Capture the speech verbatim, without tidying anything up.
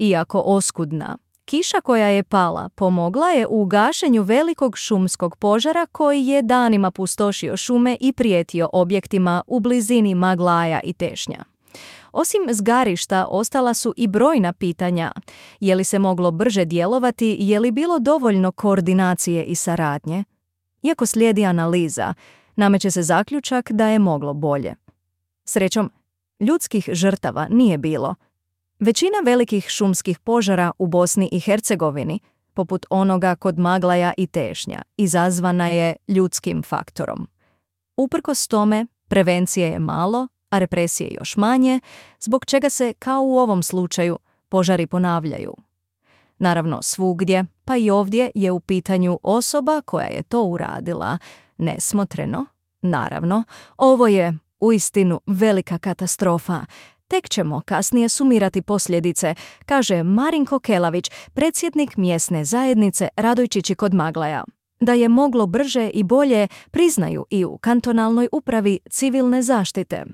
Iako oskudna, kiša koja je pala pomogla je u gašenju velikog šumskog požara koji je danima pustošio šume i prijetio objektima u blizini Maglaja i Tešnja. Osim zgarišta, ostala su i brojna pitanja. Je li se moglo brže djelovati, je li bilo dovoljno koordinacije i saradnje? Iako slijedi analiza, nameće se zaključak da je moglo bolje. Srećom, ljudskih žrtava nije bilo. Većina velikih šumskih požara u Bosni i Hercegovini, poput onoga kod Maglaja i Tešnja, izazvana je ljudskim faktorom. Uprkos tome, prevencije je malo, a represije još manje, zbog čega se, kao u ovom slučaju, požari ponavljaju. Naravno, svugdje, pa i ovdje je u pitanju osoba koja je to uradila nesmotreno. Naravno, ovo je uistinu velika katastrofa. Tek ćemo kasnije sumirati posljedice, kaže Marinko Kelavić, predsjednik mjesne zajednice Radojčići kod Maglaja. Da je moglo brže i bolje priznaju i u kantonalnoj upravi civilne zaštite.